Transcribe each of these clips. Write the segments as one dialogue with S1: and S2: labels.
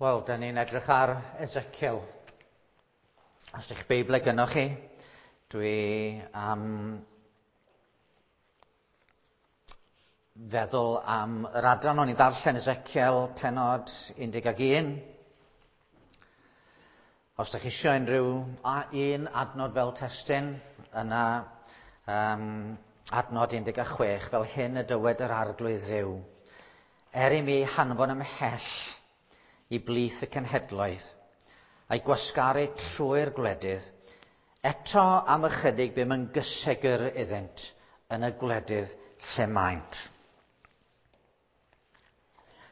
S1: Wel, da ni'n edrych ar Ezekiel. Os ydych Beibl gynnwch chi, dwi am feddwl am yr adran o'n i ddarllen Ezekiel penod 11. Os ydych chi eisiau unrhyw un adnod fel testun, yna adnod 16, fel hyn y dywed yr Arglwydd Dduw. Er i mi hanfon ymhell i blith y cenhedloedd, a'i gwasgaru trwy'r gwledydd, eto am ychydig bum yn gysegr iddynt yn y gwledydd lle maent.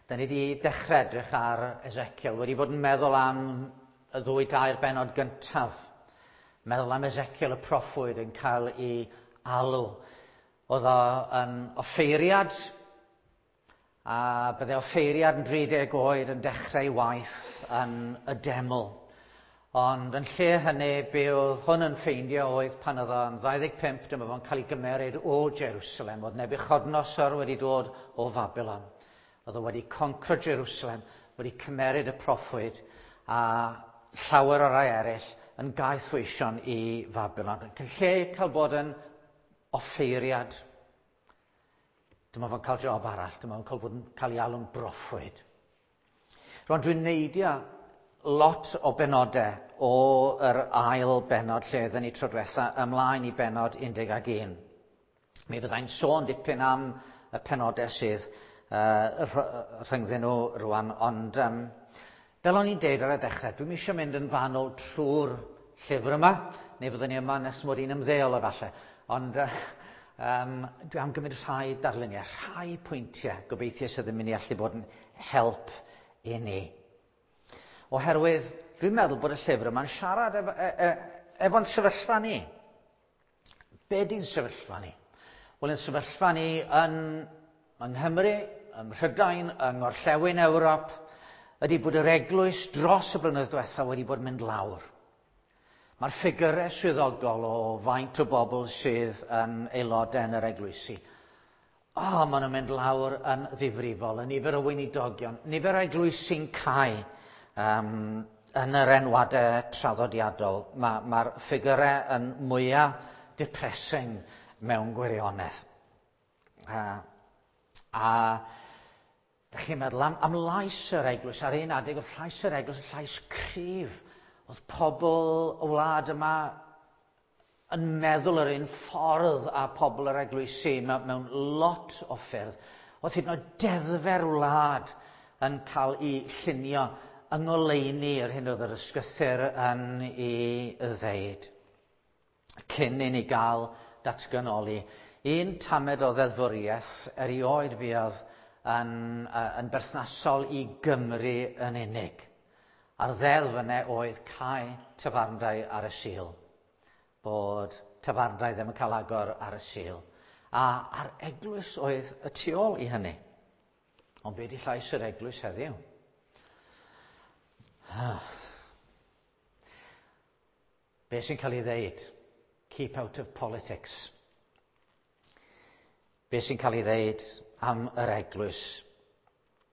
S1: Da ni wedi dechrau edrych ar Ezekiel, wedi bod yn meddwl am y ddwy dair benod gyntaf. Meddwl am Ezekiel y proffwyd yn cael ei alw. Oedd o yn offeiriad, a bydde offeiriad yn 30 oed yn dechrau waith yn y deml. Ond yn lle hynny, be oedd hwn yn ffeindio oedd pan oedd o'n 25, dyma fo'n cael ei gymeryd o Jerusalem. Oedd Nebuchadnezzar wedi dod o Babylon. Oedd o wedi concro Jerusalem, wedi cymeryd y proffwyd a llawer o rai eraill yn gaethweision i Babylon. Yn lle cael bod yn offeiriad, dyma fo'n cael job arall, dyma fo'n cael bod yn cael ei alw'n broffwyd. Rwan dwi'n neidio lot o benodau o yr ail benod lle oedden ni tro diwetha ymlaen i benod 11. Mi fyddai'n sôn dipyn am y penodau sydd rhyngddyn nhw rwan, ond fel o'n i'n deud ar y dechrau, dwi'm eisiau mynd yn fanwl trwy'r llyfr yma, neu fyddwn ni yma nes mod i'n ymddeol efallai, ond dwi am gymryd rhai darluniau, rhai pwyntiau, gobeithio sydd yn mynd i allu bod yn help i ni. Oherwydd dwi'n meddwl bod y llyfr yma'n siarad efo'n sefyllfa ni. Be di'n sefyllfa ni? Wel, yn sefyllfa ni yng Nghymru, ym Mhrydain, yng Ngorllewin Ewrop, ydy bod yr eglwys dros y blynyddoedd diwethaf wedi bod yn mynd lawr. Mae'r ffigurau swyddogol o faint o bobl sydd yn aelodau yn yr eglwysi, maen nhw'n mynd lawr yn ddifrifol, y nifer o weinidogion, nifer o eglwysi'n cau yn yr enwadau traddodiadol. Mae'r ffigurau yn mwyaf depressing mewn gwirionedd. A dych chi'n meddwl am lais yr eglwys, ar un adeg oedd llais yr eglwys yn llais cryf. Oedd pobl y wlad yma yn meddwl yr un ffordd â pobl yr eglwysi mewn lot o ffyrdd. Oedd hyd yn oed deddfau'r wlad yn cael ei llunio yng ngoleuni yr hyn oedd yr ysgrythur yn ei ddeud. Cyn i ni gael datganoli, un tamed o ddeddfwriaeth erioed fuodd yn berthnasol i Gymru yn unig. A'r ddeddf yna oedd cau tafarndai ar y Sul. Bod tafarndai ddim yn cael agor ar y Sul. A a'r eglwys oedd y tu ôl i hynny. Ond be di llais yr eglwys heddiw? Be sy'n cael ei ddeud? Keep out of politics. Be sy'n cael ei ddeud am yr eglwys?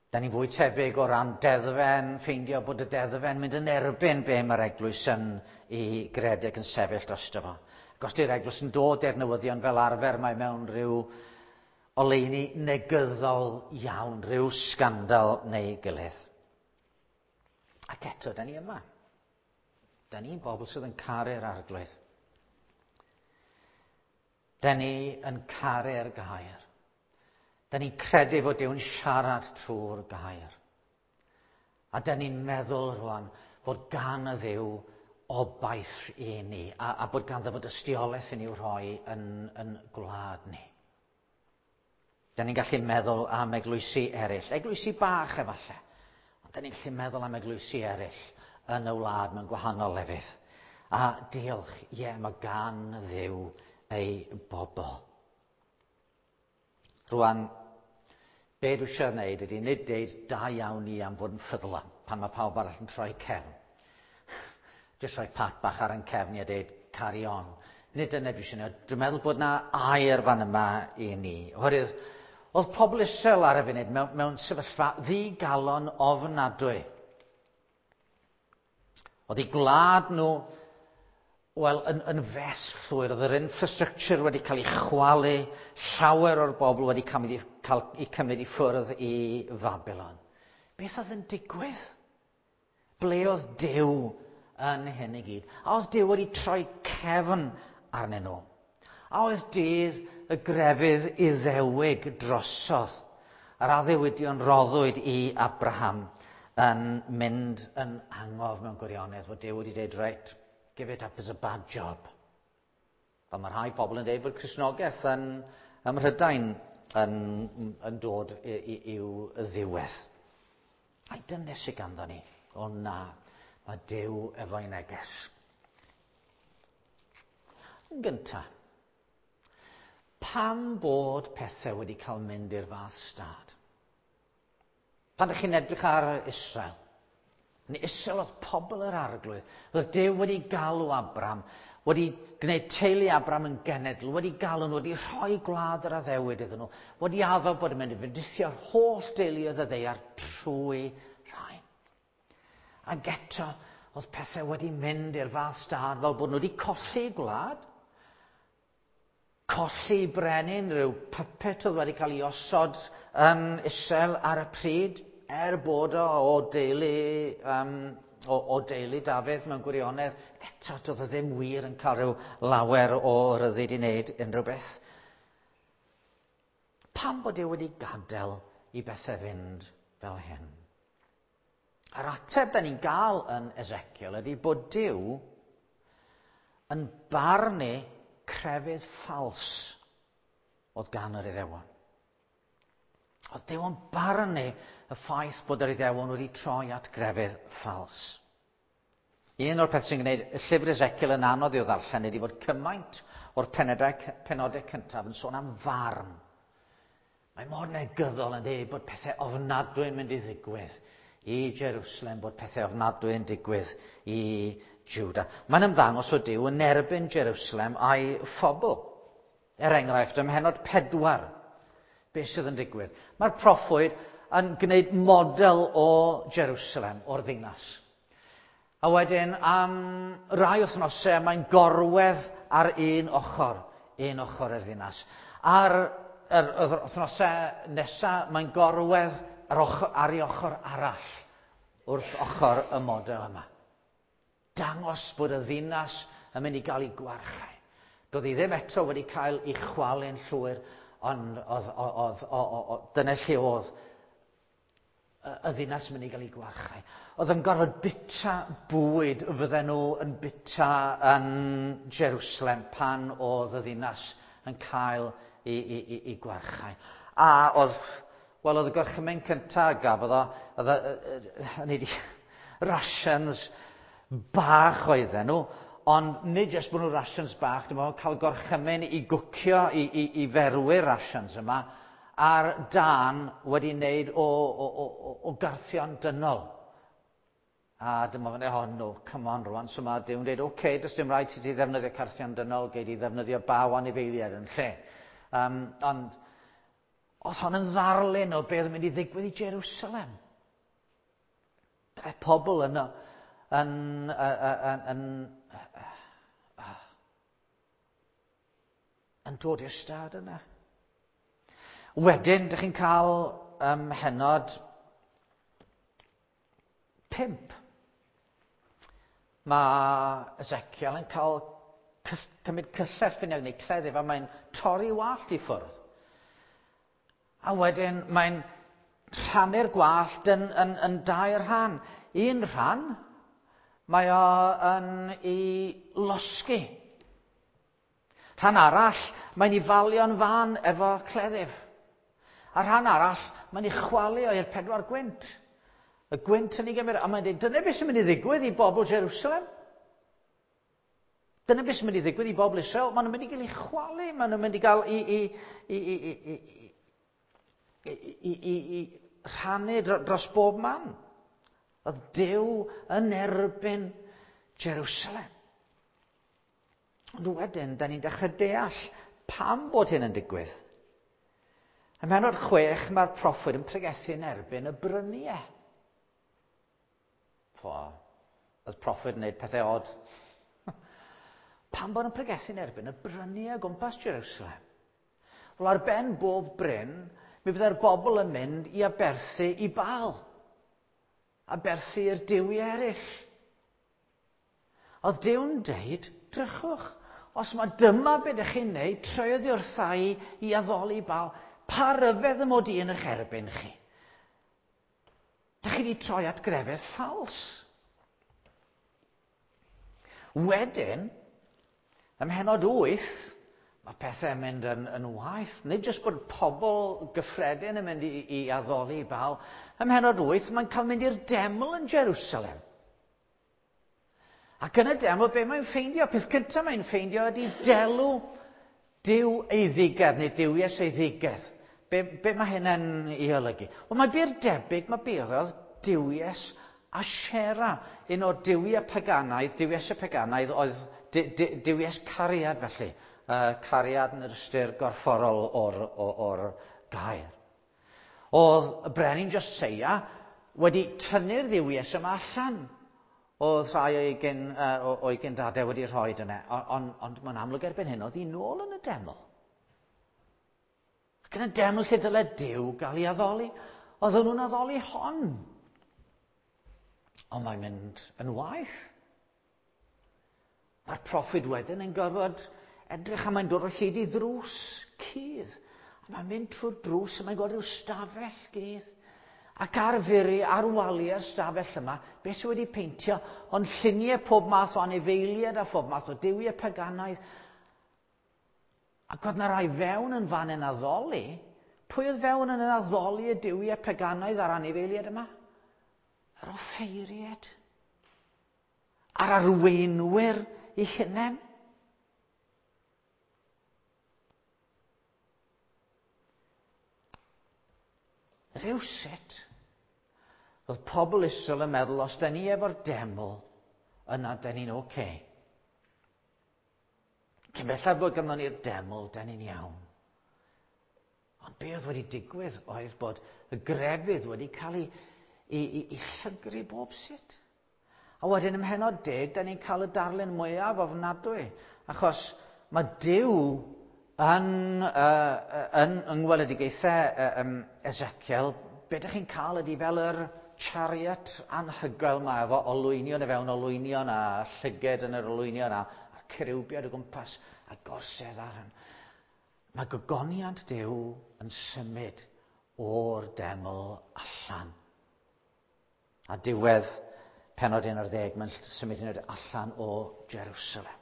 S1: Da ni'n fwy tebyg o ran deddfen, ffeindio bod y deddfen mynd yn erbyn be mae'r eglwys yn ei gredeg yn sefyll drosto fo. Ac os di'r eglwys yn dod i'r newyddion fel arfer, mae mewn rhyw oleuni negyddol iawn, rhyw sgandal neu gilydd. Ac eto, da ni yma. Da ni'n bobl sydd yn caru'r Arglwydd. Da ni yn caru'r gair. Da ni'n credu fod Duw'n siarad trwy'r gair. A da ni'n meddwl rwan fod gan y Dduw obaith i ni, a bod ganddo fod dystiolaeth i ni'w rhoi yn gwlad ni. Da ni'n gallu meddwl am eglwysi eraill, eglwysi bach efallai, ond da ni'n gallu meddwl am eglwysi eraill yn y wlad mewn gwahanol lefydd. A diolch, ie, mae gan Dduw ei bobl. Rwan, be dwi eisiau gwneud ydy nid deud da iawn ni am fod yn ffyddlon pan mae pawb arall yn troi cefn. Jyst rhoi pat bach ar ein cefn i a deud carry on. Nid dyna dwi eisiau gwneud. Dwi'n meddwl bod na air fan yma i ni. Oherwydd, oedd pobl Israel ar y funud mewn sefyllfa ddigalon ofnadwy. Oedd eu gwlad nhw, wel, yn fes llwyr. Oedd yr infrastructure wedi cael ei chwalu, llawer o'r bobl wedi cael eu cymryd i ffwrdd i Fabilon. Beth oedd yn digwydd? Ble oedd Duw yn hyn i gyd? A oedd Duw wedi troi cefn arnyn nhw? A oedd dydd y grefydd Iddewig drosodd, yr addewidion roddwyd i Abraham yn mynd yn angof mewn gwirionedd, fod Duw wedi dweud, "Right, give it up as a bad job"? Fel mae rhai pobl yn dweud bod Cristnogaeth ym Mhrydain yn dod i'w ddiwedd. Ai dyna sydd ganddo ni? O na, mae Duw efo'i neges. Yn gyntaf, pam bod pethau wedi cael mynd i'r fath stad? Pan ydych chi'n edrych ar Israel, yn Israel oedd pobl yr Arglwydd. Oedd Duw wedi galw Abram, wedi gwneud teulu Abram yn genedl, wedi galw nhw, wedi rhoi gwlad yr addewid iddyn nhw, wedi addo bod yn mynd i fendithio'r holl deuluoedd y ddaear trwy rhain. Ac eto, oedd pethau wedi mynd i'r fath stad fel bod nhw wedi colli gwlad, colli brenin, rhyw puppet oedd wedi cael ei osod yn Israel ar y pryd, er bod o deulu Dafydd mewn gwirionedd, eto doedd o ddim wir yn cael rhyw lawer o ryddid i wneud unrhyw beth. Pam bod e wedi gadael i bethau fynd fel hyn? A'r ateb da ni'n gael yn Ezekiel ydy bod Duw yn barnu crefydd ffals oedd gan yr Iddewon. Oedd Duw yn barnu y ffaith bod yr Iddewon wedi troi at grefydd ffals. Un o'r peth sy'n gwneud y llyfr Ezekiel yn anodd i'w ddarllen ydy fod cymaint o'r penodau cyntaf yn sôn am farn. Mae mor negyddol yn dweud bod pethau ofnadwy yn mynd i ddigwydd i Jerusalem, bod pethau ofnadwy yn digwydd i Juda. Mae'n ymddangos o Duw yn erbyn Jerusalem a'i phobl. Er enghraifft, ym mhennod 4, beth sydd yn digwydd? Mae'r proffwyd yn gwneud model o Jerusalem, o'r ddinas. A wedyn, am rai wythnosau, mae'n gorwedd ar un ochr yr ddinas. Ar yr wythnosau nesaf, mae'n gorwedd ar ei ochr arall, wrth ochr y model yma. Dangos bod y ddinas yn mynd i gael ei gwarchau. Doedd hi ddim eto wedi cael ei chwalu'n llwyr, ond oedd, dyna lle oedd y ddinas yn mynd i gael ei gwarchau. Oedd yn gorfod byta bwyd fydden nhw yn byta yn Jerusalem pan oedd y ddinas yn cael ei gwarchau. A oedd, wel, oedd y gorchymyn cyntaf gafodd o, oedd oedd rations bach oedden nhw, ond nid jyst bod nhw rations bach, dim ond cael gorchymyn i gwcio, i ferwi'r rations yma, a'r dân wedi wneud o garthion dynol. A dyma fan oh no, come on rwan. So mae Duw'n dweud, "Okay, okay, does dim rhaid ti ddefnyddio carthion dynol, gei di ddefnyddio baw anifeiliaid yn lle." Ond oedd hon yn ddarlun o beth yn mynd i ddigwydd i Jerusalem. Byddai pobl yno yn dod i'r stad yna. Wedyn, dych chi'n cael pennod 5. Mae Ezekiel yn cael cymryd cyllell finiog neu cleddyf a mae'n torri wallt i ffwrdd. A wedyn mae'n rhannu'r gwallt yn dair rhan. Un rhan, mae o yn ei losgi. Rhan arall, mae'n ei falio'n fan efo cleddyf. A rhan arall, mae'n ei chwalu o i'r pedwar gwynt. Y gwynt yn ei gymryd, a mae'n dweud, dyna beth sy'n mynd i ddigwydd i bobl Jerusalem. Dyna beth sy'n mynd i ddigwydd i bobl Israel. Maen nhw'n mynd i gael eu chwalu, maen nhw'n mynd i gael i rhannu dros bob man. Oedd Duw yn erbyn Jerusalem. Ond wedyn, da ni'n dechrau deall pam bod hyn yn digwydd. Ym mhennod 6, mae'r proffwyd yn pregethu yn erbyn y bryniau. Fo, Oedd proffwyd yn gwneud pethau od. Pam bod yn pregethu'n erbyn y bryniau o gwmpas Jerusalem? Wel, ar ben bob bryn, mi fydde'r bobl yn mynd i aberthu i Baal. Aberthu i'r duwiau eraill. Oedd Duw'n deud, drychwch, os mae dyma beth ydych chi'n neud, troi oddi wrtha i i addoli Baal, pa ryfedd y mod i yn eich erbyn chi? Dych chi wedi troi at grefydd ffals. Wedyn, ym mhennod 8, mae pethau'n mynd yn waeth. Nid jyst bod pobl gyffredin yn mynd i addoli Baal. Ym mhennod 8, mae'n cael mynd i'r deml yn Jerusalem. Ac yn y deml, be mae'n ffeindio? Peth cyntaf mae'n ffeindio ydy delw Duw eiddigedd, neu duwies eiddigedd. Be mae hynna'n ei olygu? Wel, mae bir debyg, mae bydd oedd duwies Ashera, un o'r duwiau paganaidd, duwies y paganaidd oedd duwies cariad felly. Cariad yn yr ystyr gorfforol o'r gair. Oedd y brenin Joseia wedi tynnu'r dduwies yma allan. Oedd rhai o'i gyndadau wedi rhoi yna, ond mae'n amlwg erbyn hyn oedd hi nôl yn y deml. Ac yn y deml lle dyle Duw gael ei addoli, oedden nhw'n addoli hon. Ond mae'n mynd yn waeth. Mae'r proffwyd wedyn yn gorfod edrych a mae'n dod o hyd i ddrws cudd. A mae'n mynd trwy'r drws a mae'n gweld rhyw stafell gudd. Ac ar furi, ar waliau'r stafell yma, beth sydd wedi peintio, ond lluniau pob math o anifeiliaid a phob math o duwiau paganaidd. Ac oedd na rai fewn yn fan yn addoli. Pwy oedd fewn yn addoli y duwiau paganaidd a'r anifeiliaid yma? Yr offeiriaid. A'r arweinwyr eu hunain. Rhywsut, oedd pobl Israel yn meddwl, os da ni efo'r deml, yna da ni'n oce. Okay. Cyn belled bod ganddo ni'r deml, da ni'n iawn. Ond be oedd wedi digwydd oedd bod y grefydd wedi cael ei llygru bob sut. A wedyn ym mhennod 10, da ni'n cael y darlun mwyaf ofnadwy, achos mae Duw yn ngweledigaethau Ezekiel, be ydych chi'n cael ydy fel yr chariot anhygoel yma efo olwynion i fewn olwynion a llyged yn yr olwynion a'r cerubiaid o gwmpas a gorsedd ar hyn. Mae gogoniant Duw yn symud o'r deml allan. A diwedd pennod 11, mae'n symud hyn allan o Jerusalem.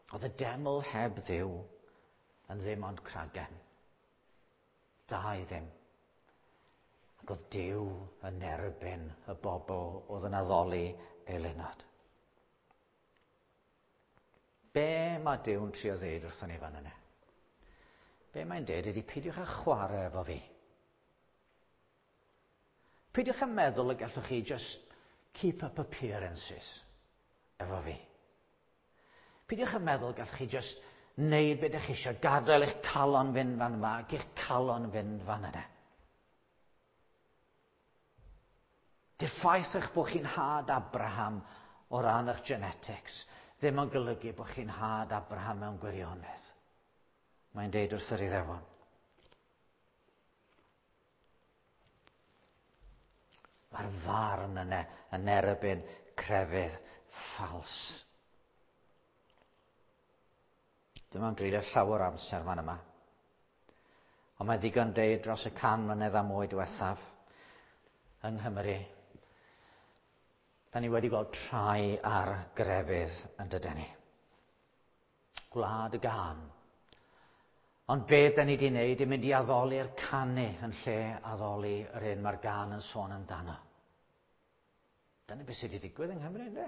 S1: Oedd y deml heb Dduw yn ddim ond cragen. Da i ddim. Ac oedd Duw yn erbyn y bobl oedd yn addoli eilunod. Be mae Duw'n trio ddeud wrthon ni fan yna? Be mae'n deud ydy peidiwch â chwarae efo fi. Peidiwch â meddwl y gallwch chi just keep up appearances efo fi. Peidiwch â meddwl gallwch chi just neud beth ydych chi eisiau, gadael eich calon fynd fan yma ac eich calon fynd fan yna. Di'r ffaith eich bod chi'n had Abraham o ran eich genetics ddim yn golygu bod chi'n had Abraham mewn gwirionedd. Mae'n deud wrth yr Iddewon. Mae'r farn yna yn erbyn crefydd ffals. Dwi'm am dreulio llawer o amser fan yma. Ond mae'n ddigon deud dros y 100 mlynedd a mwy diwethaf yng Nghymru, da ni wedi gweld trai ar grefydd yn dydyn ni. Gwlad y gân. Ond be da ni wedi wneud yw mynd i addoli'r canu yn lle addoli yr un mae'r gân yn sôn amdano. Dyna beth sydd wedi digwydd yng Nghymru, ynddo?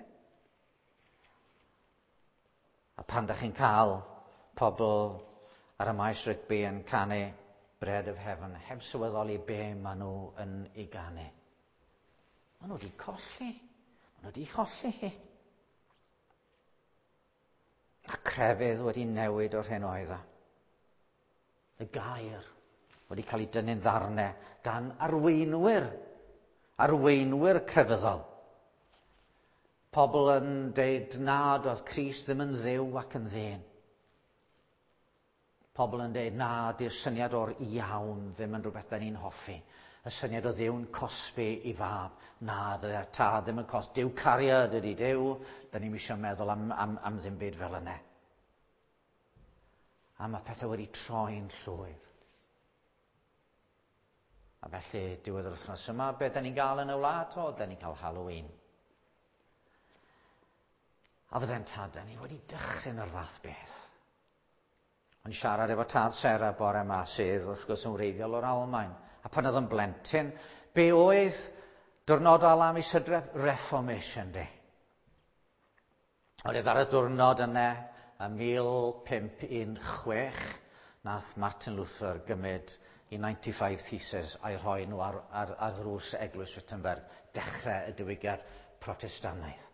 S1: A pan da chi'n cael pobl ar y maes rygbi yn canu Bread of Heaven, heb sylweddoli be maen nhw yn ei ganu. Maen nhw wedi colli. Maen nhw wedi cholli hi. A crefydd wedi newid o'r hyn oedd o. Y gair Wedi cael ei dynnu'n ddarnau gan arweinwyr, arweinwyr crefyddol. Pobl yn deud nad oedd Crist ddim yn Dduw ac yn ddyn. Pobl yn deud na, di'r syniad o'r iawn ddim yn rhywbeth da ni'n hoffi. Y syniad o Dduw'n cosbi i fab. Na, ddy'r tad ddim yn cos. Duw cariad ydy Duw. Da ni'n eisiau meddwl am ddim byd fel yna. A mae pethau wedi troi'n llwyr. A felly, diwedd yr wythnos yma, be da ni'n gael yn y wlad? O, da ni'n cael Halloween. A fydde'n tad, da ni wedi dychryn o'r fath beth. O'n siarad efo tad Sarah bore yma, sydd wrth gwrs yn wreiddiol o'r Almaen. A pan oedd yn blentyn, be oedd diwrnod ola mis Hydref? Reformation Day. Oedd ar y diwrnod yna, ym 1516, nath Martin Luther gymryd i 95 Theses a'i rhoi nhw ar ddrws Eglwys Wittenberg, dechrau y diwygiad Protestannaidd.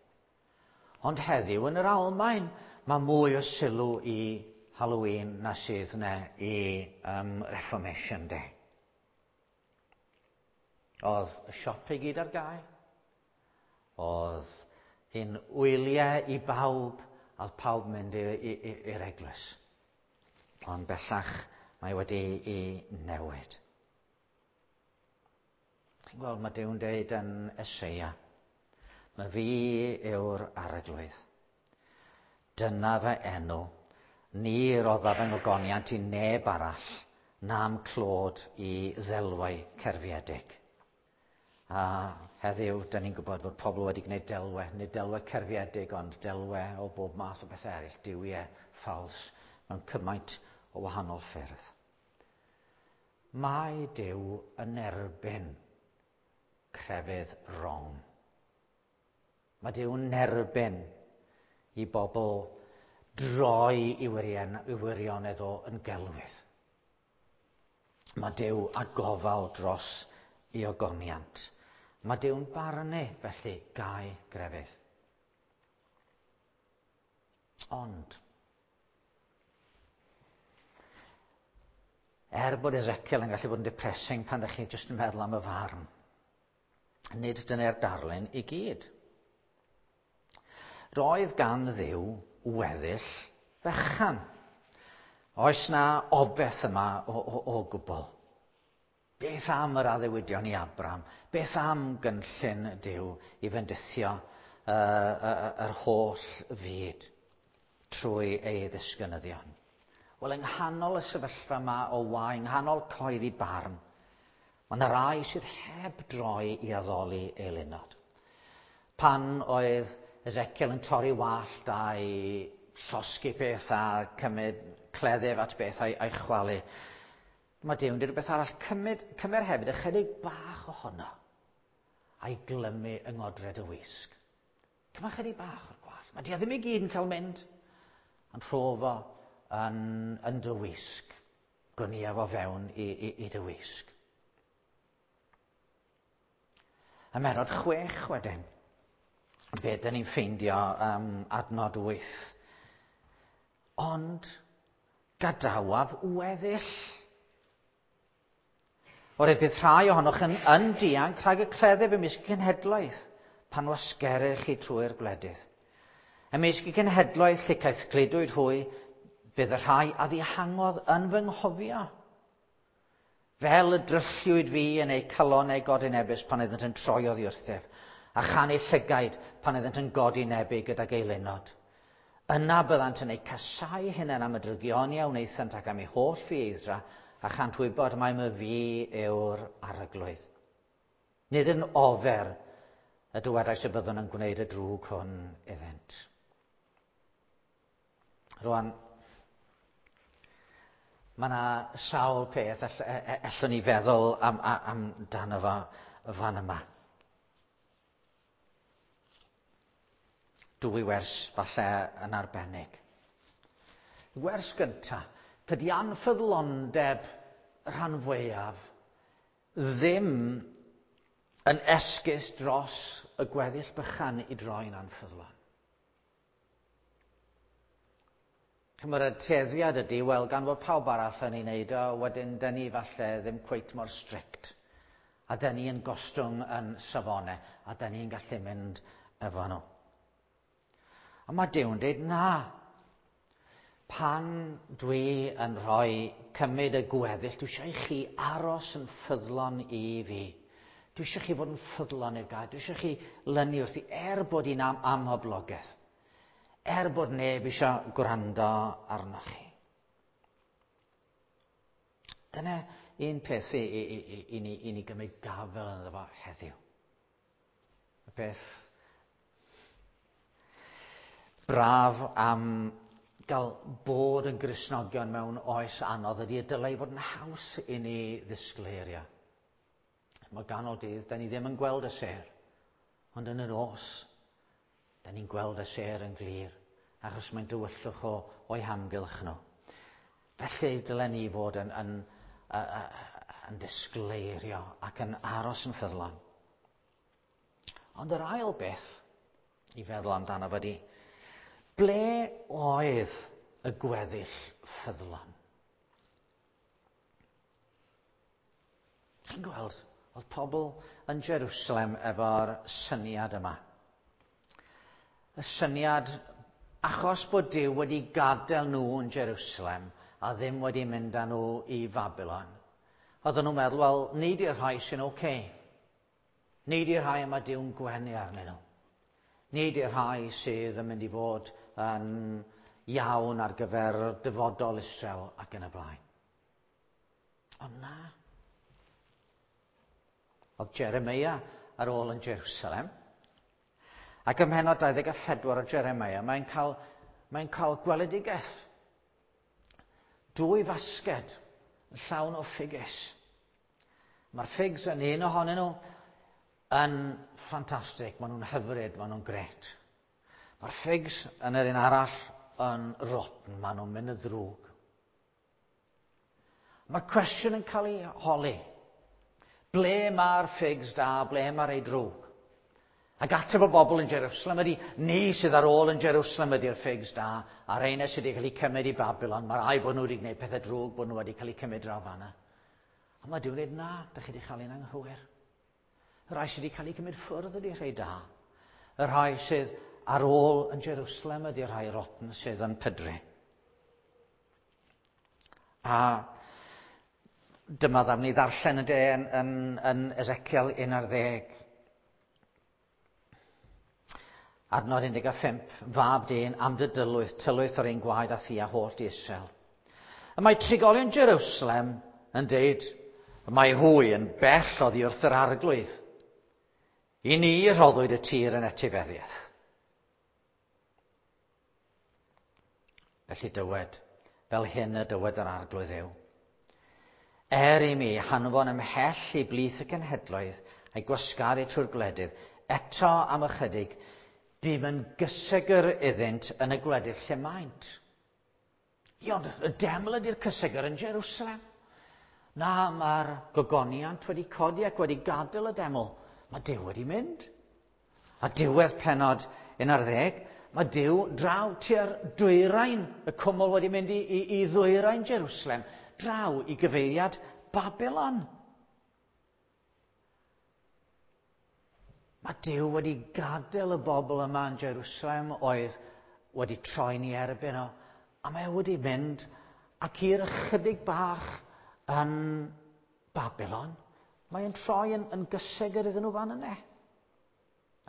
S1: Ond heddiw yn yr Almaen, mae mwy o sylw i Halloween na sydd yna i Reformation Day. Oedd y siop i gyd ar gau. Oedd hi'n wyliau i bawb, a oedd pawb mynd i'r eglwys. Ond bellach mae wedi i newid. Chi'n gweld, mae Duw'n deud yn Eseia, mae fi yw'r Arglwydd. Dyna fy enw. Ni roddaf fy ngogoniant i neb arall, na'm clod i ddelwau cerfiedig. A heddiw, da ni'n gwybod bod pobl wedi gwneud delwau, nid delwau cerfiedig, ond delwau o bob math o bethau eraill, duwiau ffals, mewn cymaint o wahanol ffyrdd. Mae Duw yn erbyn crefydd wrong. Mae Duw yn erbyn i bobl droi i wirionedd o yn gelwydd. Mae Duw a gofal dros i ogoniant. Mae Duw'n barnu, felly, gau grefydd. Ond, er bod Ezekiel yn gallu bod yn depressing pan ydych chi jyst yn meddwl am y farn, nid dyna'r darlun i gyd. Roedd gan Dduw weddill fechan. Oes na obeth yma o gwbl? Beth am yr addewidion i Abram? Beth am gynllun Duw i fendithio yr holl fyd trwy ei ddisgynyddion? Wel, yng nghanol y sefyllfa yma o wae, yng nghanol coeddi barn, mae yna rai sydd heb droi i addoli eilunod. Pan oedd Ezekiel yn torri wallt a'i llosgi peth a cymryd cleddyf at beth a'i chwalu, mae Duw'n dweud rhywbeth arall, cymer hefyd ychydig bach ohono a'i glymu yng ngodred y wisg. Cymer chydig bach o'r gwallt. Mae di ddim i gyd yn cael mynd, ond rho fo yn dy wisg. Gwnia fo fewn i dy wisg. Ym mhennod 6 wedyn, be dyn ni'n ffeindio adnod 8. Ond gadawaf weddill. Oherwydd bydd rhai ohonoch yn dianc rhag y cleddyf ymysg y cenhedloedd pan wasgerir chi trwy'r gwledydd. Ymysg y cenhedloedd lle caeth gludwyd hwy, bydd y rhai a ddihangodd yn fy nghofio. Fel y drylliwyd fi yn eu calonnau godinebus pan oeddent yn troi oddi wrthyf, a chan eu llygaid pan oeddent yn godinebu gydag eilunod. Yna byddant yn eu casau hunain am y drygioni a wnaethant ac am eu holl ffieiddra, a chant wybod mai my fi yw'r Arglwydd. Nid yn ofer y dywedais y byddwn yn gwneud y drwg hwn iddynt. Rwan, mae yna sawl peth allwn ni feddwl amdano fo fan yma. Dwy wers falle yn arbennig. Wers gynta, tydi anffyddlondeb rhan fwyaf ddim yn esgus dros y gweddill bychan i droi'n anffyddlon. Chymod, y tueddiad ydy, wel, gan fod pawb arall yn ei wneud o, wedyn dyn ni falle ddim cweit mor strict. A dyn ni yn gostwng yn safonau, a dyn ni'n gallu mynd efo nhw. A mae Duw'n dweud, na, pan dwi yn rhoi cymryd y gweddill, dwi eisiau i chi aros yn ffyddlon i fi. Dwi eisiau chi fod yn ffyddlon i'r gair. Dwi eisiau chi lynu wrthi, er bod hi'n am amhoblogaidd. Er bod neb eisiau gwrando arnoch chi. Dyna un peth i, i, i, i, ni, i ni gymryd gafel ynddo fo heddiw. Y peth braf am gael bod yn Gristnogion mewn oes anodd ydy y dylai fod yn haws i ni ddisgleirio. Mae ganol dydd, da ni ddim yn gweld y sêr, ond yn y nos, da ni'n gweld y sêr yn glir, achos mae'n dywyllwch o, o'i hamgylch nhw. Felly dylen ni fod yn, yn, yn, yn disgleirio ac yn aros yn ffyddlon. Ond yr ail beth i feddwl amdano fo ydy, ble oedd y gweddill ffyddlon? Chi'n gweld, oedd pobl yn Jerusalem efo'r syniad yma. Y syniad, achos bod Duw wedi gadael nhw yn Jerusalem a ddim wedi mynd â nhw i Babylon, oedden nhw'n meddwl, wel, ni di'r rhai sy'n oce. Okay. Ni di'r rhai yma Duw'n gwenu arnyn nhw. Ni di'r rhai sydd yn mynd i fod yn iawn ar gyfer dyfodol Israel ac yn y blaen. Ond na. Oedd Jeremia ar ôl yn Jerusalem. Ac ym mhennod 24 o Jeremia, mae'n cael, mae'n cael gweledigaeth. Dwy fasged yn llawn o ffigys. Mae'r ffigs yn un ohonyn nhw yn ffantastig, maen nhw'n hyfryd, maen nhw'n gret. Mae'r ffigs yn yr un arall yn rotten, maen nhw'n mynd y ddrwg. Mae'r cwestiwn yn cael ei holi. Ble mae'r ffigs da, ble mae'r ei drwg? Ac ateb y bobl yn Jerusalem ydy, ni sydd ar ôl yn Jerusalem ydy'r ffigs da, a'r reina sydd wedi cael eu cymryd i Babylon, mae rai bod nhw wedi gwneud pethau drwg, bod nhw wedi cael eu cymryd draw fanna. Ond mae Duw'n dweud, na, da chi wedi cael ein anghywir. Y rhai sydd wedi cael eu cymryd ffwrdd ydy rhai da. Y rhai sydd ar ôl yn Jerusalem ydy'r rhai rotten sydd yn pydru. A dyma ddam ni ddarllen y de yn, yn, yn Ezekiel 11. Adnod 15, fab dyn am dy dylwyth, tylwyth o'r un gwaed a thi a holl di Israel. Y mae trigolion Jerusalem yn deud, y mae hwy yn bell oddi wrth yr arglwydd. I ni rhoddwyd y tir yn etifeddiaeth. Felly dywed, fel hyn y dywed yr arglwydd yw. Er i mi hanfon ymhell i blith y cenhedloedd a'i gwasgaru trwy'r gwledydd, eto am ychydig, bum yn gysegr iddynt yn y gwledydd lle maent. Ie, ond y deml ydy'r cysegr yn Jerusalem. Na, mae'r gogoniant wedi codi ac wedi gadael y deml. Mae Duw wedi mynd. A diwedd pennod 11, mae Duw draw tua'r dwyrain, y cwmwl wedi mynd i, i, i ddwyrain Jerusalem, draw i gyfeiriad Babylon. Mae Duw wedi gadael y bobl yma yn Jerusalem oedd wedi troi'n ei erbyn o, a mae wedi mynd ac i'r ychydig bach yn Babylon, mae'n troi yn, yn gysegr iddyn nhw fan yna.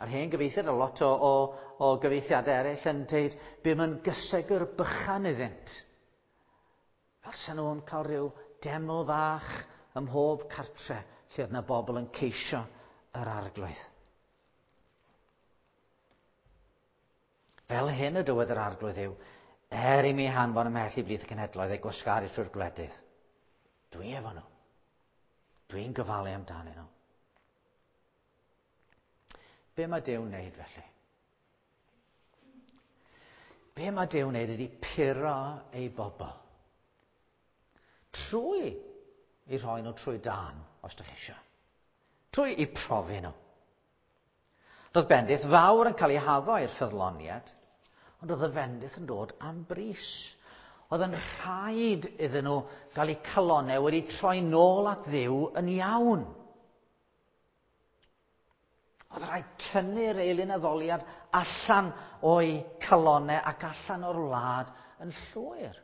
S1: A'r hen gyfeithiad, a lot o, o, o gyfeithiadau eraill yn dweud, bum yn gysegr bychan iddynt. Fel sy'n nhw'n cael rhyw deml fach ym mhob cartre lle oedd yna bobl yn ceisio yr arglwydd. Fel hyn y dywed yr arglwydd yw, er i mi hanfon ymhell i blith y cenhedloedd ei gwasgaru trwy'r gwledydd. Dwi efo nhw. Dwi'n gofalu amdanyn nhw. Be mae Duw'n wneud felly? Be mae Duw'n wneud ydy puro ei bobl. Trwy i rhoi nhw trwy dan, os ydych chi eisiau. Trwy i profi nhw. Roedd bendith fawr yn cael ei haddo i'r ffyddloniad, ond roedd y fendith yn dod am bris. Oedd yn rhaid iddyn nhw gael eu calonau wedi troi nôl at Dduw yn iawn. Oedd rhaid tynnu'r eilun addoliad allan o'i calonau ac allan o'r wlad yn llwyr.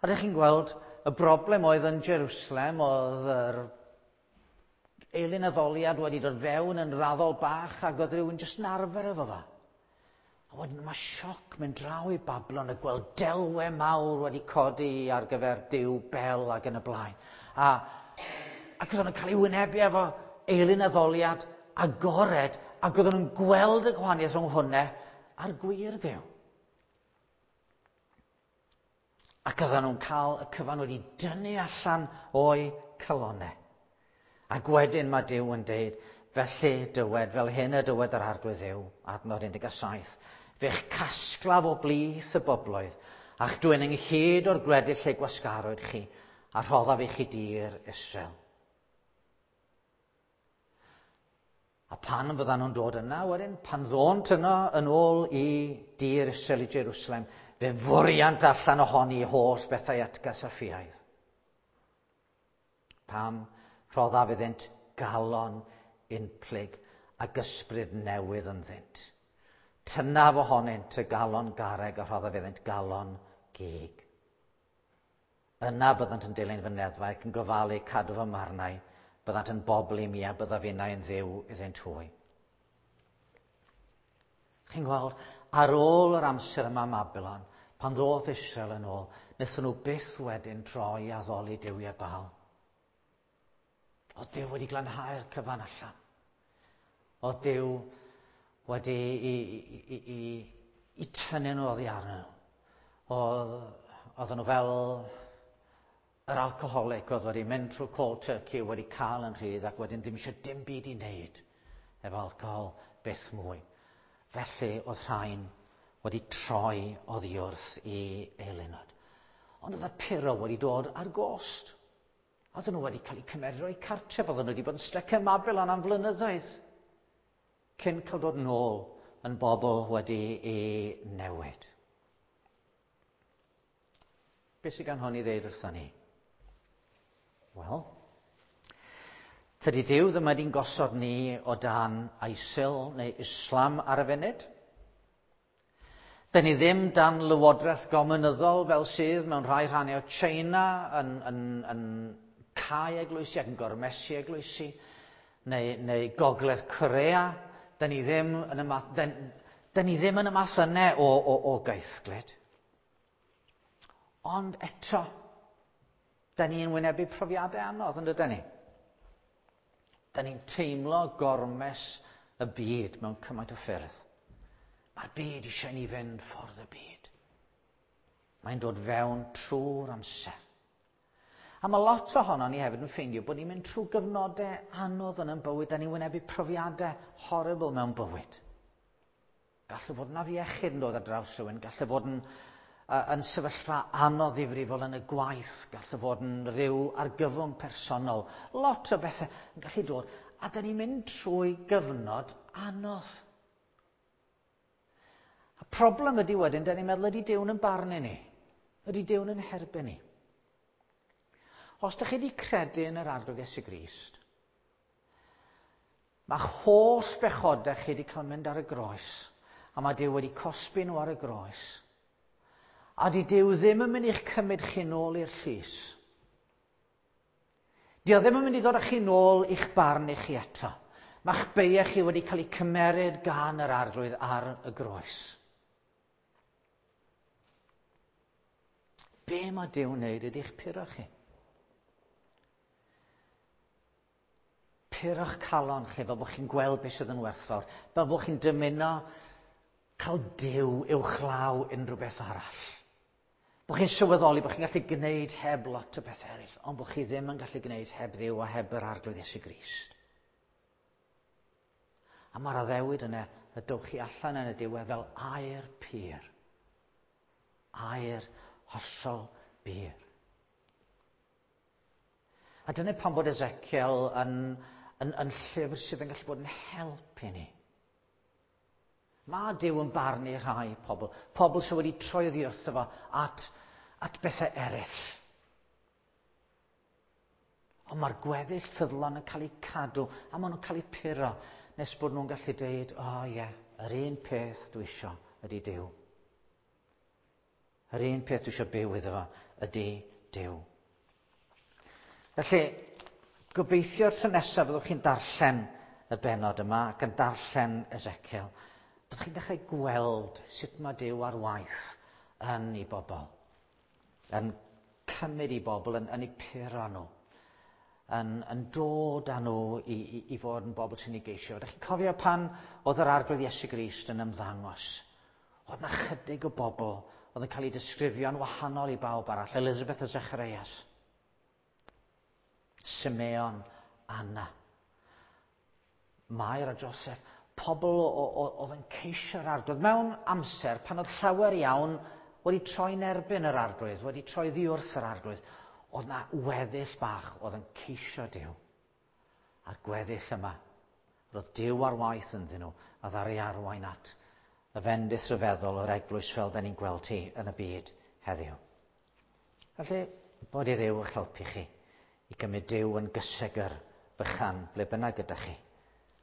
S1: A ydych chi'n gweld y broblem oedd yn Jerusalem, oedd yr eilun addoliad wedi dod fewn yn raddol bach ac oedd rhywun jyst yn arfer efo fo. A wedyn mae sioc mynd draw i Bablon a gweld delwe mawr wedi codi ar gyfer Duw Bel ac yn y blaen. A, ac oedden nhw'n cael ei wynebu efo eilun addoliad agored ac oedden nhw'n gweld y gwahaniaeth rhwng hwnna a'r gwir Dduw. Ac oedden nhw'n cael y cyfan wedi dynnu allan o'i calonau. Ac wedyn mae Duw yn deud, felly dywed, fel hyn y dywed yr Arglwydd Dduw, adnod 17, fe'ch casglaf o blith y bobloedd, a'ch dwyn ynghyd o'r gwledydd lle gwasgarwyd chi, a rhoddaf i chi dir Israel. A pan fyddan nhw'n dod yna wedyn, pan ddônt yno yn ôl i dir Israel i Jerusalem, fe fwriant allan ohoni holl bethau atgas a ffiaidd. Pam rhoddaf iddynt galon unplyg ac ysbryd newydd ynddynt. Tynaf ohonynt y galon garreg a rhoddaf iddynt galon gig. Yna byddant yn dilyn fy neddfau ac yn gofalu cadw fy marnau. Byddant yn bobl i mi a byddaf innau yn Dduw iddynt hwy. Chi'n gweld, ar ôl yr amser yma ym Mabilon, pan ddoth Israel yn ôl, wnaethon nhw byth wedyn droi i addoli duwiau Baal. Oedd Duw wedi glanhau'r cyfan allan. Oedd Duw wedi i, i, i, i, tynnu nhw oddi arnyn nhw. Oedd, oedden nhw fel yr alcoholic oedd wedi mynd trwy cold turkey, wedi cael yn rhydd ac wedyn ddim eisiau dim byd i wneud efo alcohol byth mwy. Felly oedd rhain wedi troi oddi wrth i eilunod. Ond oedd y puro wedi dod ar gost. Oedden nhw wedi cael eu cymeryd o'i cartref, oedden nhw wedi bod yn styc ym Mabilon am flynyddoedd cyn cael dod nôl yn bobl wedi ei newid. Beth sydd gan hwn i ddeud wrthon ni? Wel, tydi Duw ddim wedi'n gosod ni o dan ISIL neu Islam ar y funud. Dyn ni ddim dan lywodraeth gominyddol fel sydd mewn rhai rhannau o China yn, yn, yn cau eglwysi ac yn gormesu eglwysi, neu, neu Gogledd Corea. Dyn ni ddim yn y math, dyn, dyn ni ddim yn y math yna o, o, o gaethglud. Ond eto, dyn ni'n wynebu profiadau anodd, yn dydyn ni? Dyn ni'n teimlo gormes y byd mewn cymaint o ffyrdd. Mae'r byd eisiau ni fynd ffordd y byd. Mae'n dod fewn trwy'r amser. A mae lot ohono ni hefyd yn ffeindio bod ni'n mynd trwy gyfnodau anodd yn ein bywyd, a ni'n wynebu profiadau horrible mewn bywyd. Gallu fod yn afiechyd yn dod ar draws rhywun, gallu fod yn, yn sefyllfa anodd ddifrifol yn y gwaith, gallu fod yn rhyw argyfwng personol. Lot o bethau yn gallu dod, a da ni'n mynd trwy gyfnod anodd. Y problem ydy wedyn, da ni'n meddwl ydy Duw'n yn barnu ni. Ydy Duw'n yn herbyn ni. Os ydych chi wedi credu yn yr Arglwydd Iesu Grist, mae holl bechodau chi wedi cael mynd ar y groes, a mae Duw wedi cosbi nhw ar y groes. A di Duw ddim yn mynd i'ch cymryd chi nôl i'r llys. Di o ddim yn mynd i ddod â chi nôl i'ch barn i chi eto. Mae'ch beiau chi wedi cael eu cymeryd gan yr Arglwydd ar y groes. Be mae Duw'n wneud ydy'ch puro chi. Puro'ch calon chi fel bod chi'n gweld beth sydd yn werthfawr, fel bod chi'n dymuno cael Duw uwchlaw unrhyw beth arall. Bod chi'n sylweddoli bod chi'n gallu gwneud heb lot o beth eraill, ond bod chi ddim yn gallu gwneud heb Dduw a heb yr Arglwydd Iesu Grist. A mae'r addewid yna y dowch chi allan yn y diwedd fel aer pur. Aer hollol bur. A dyna pam bod Ezekiel yn, yn, yn llyfr sydd yn gallu bod yn help i ni. Mae Duw yn barnu rhai pobl, pobl sydd wedi troi oddi wrtho fo at bethau eraill. Ond mae'r gweddill ffyddlon yn cael eu cadw, a maen nhw'n cael eu puro, nes bod nhw'n gallu dweud, o oh, ie, yeah, yr un peth dwi isio ydy Duw. Yr un peth dwi isio byw iddo fo ydy Duw. Felly, gobeithio'r tro nesaf fyddwch chi'n darllen y bennod yma ac yn darllen Ezekiel, byddwch chi'n dechrau gweld sut mae Duw ar waith yn ei bobl, yn cymryd ei bobl, yn eu puro nhw, yn dod â nhw i fod yn bobl sy'n ei geisio. Ydych chi'n cofio pan oedd yr Arglwydd Iesu Grist yn ymddangos? Oedd 'na chydig o bobl oedd yn cael eu disgrifio'n wahanol i bawb arall. Elizabeth a Zacharias, Simeon, Anna, Mair a Joseph, pobl oedd yn ceisio'r Arglwydd mewn amser pan oedd llawer iawn wedi troi'n erbyn yr Arglwydd, wedi troi ddi wrth yr Arglwydd. Oedd na weddill bach oedd yn ceisio Duw. A'r gweddill yma, roedd Duw ar waith ynddyn nhw, a ddaru arwain at y fendith rhyfeddol o'r eglwys fel da ni'n gweld hi yn y byd heddiw. Felly, bod i Dduw eich helpu chi i gymryd Duw yn gysegr bychan ble bynnag gyda chi,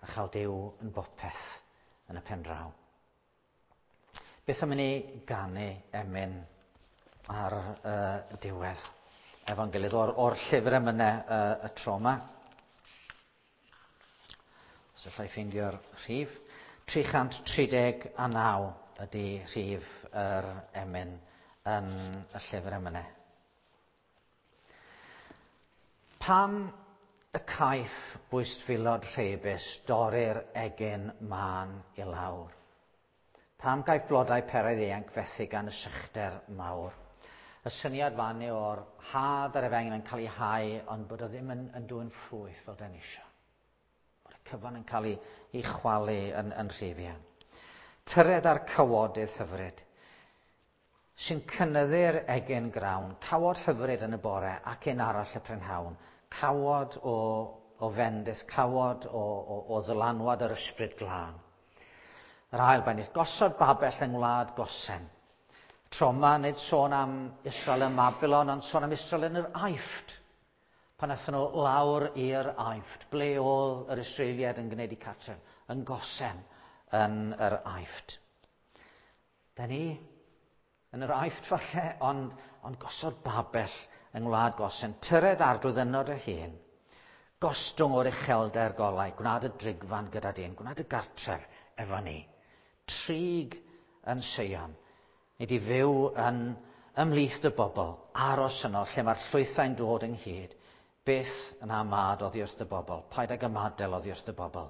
S1: a chael Duw yn bopeth yn y pen draw. Beth am i ni ganu emyn ar y diwedd efo'n gilydd o'r llyfr emynau y tro yma. Os allai ffeindio'r rhif. 339 ydy rhif yr emyn yn y llyfr emynau. Pam y caiff bwystfilod rheibus dorri'r egin mân i lawr? Pam gaiff blodau peraidd ieuanc fethu gan y sychder mawr? Y syniad fan yw o'r had ar efengyl yn cael ei hau, ond bod o ddim yn dwyn ffrwyth fel dan isio. Bod y cyfan yn cael ei chwalu yn rhy fuan. Tyred ar cawodydd hyfryd, sy'n cynyddu'r egin grawn, cawod hyfryd yn y bore ac un arall y prynhawn, cawod o fendith, cawod o ddylanwad yr ysbryd glân. Yr ail bennill, gosod babell yng ngwlad Gosen. Tro yma, nid sôn am Israel ym Mabilon, ond sôn am Israel yn yr Aifft. Pan aethon nhw lawr i'r Aifft, ble oedd yr Israeliaid yn gwneud eu cartref? Yn Gosen, yn yr Aifft. Da ni yn yr Aifft falle, ond gosod babell yng ngwlad Gosen. Tyred Arglwydd yno dy hun. Gostwng o'r uchelder golau, gwnad y drigfan gyda dyn, gwnad y gartref efo ni. Trig yn Seion, nid i fyw yn ymhlith y bobl, aros yno lle mae'r llwythau'n dod ynghyd, byth yn amad oddi wrth y bobl, paid ag ymadael oddi wrth y bobl,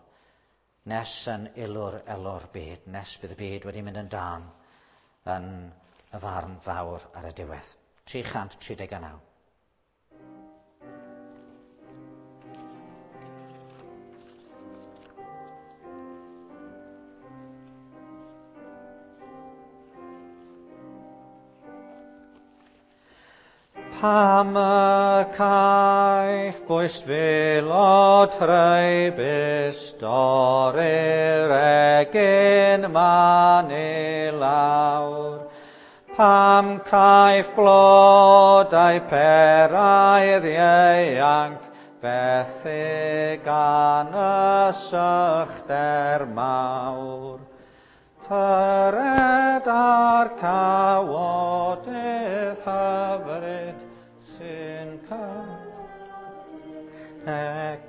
S1: nes yn ilwr elw'r byd, nes bydd y byd wedi mynd yn dân yn y farn fawr ar y diwedd. 339. Pam y caiff bwystfilod rheibus dorri'r egin man i lawr? Pam caiff blodau peraidd ieuanc fethu gan y sychder mawr? Tyred ar cawodydd hyfryd sy'n cynnig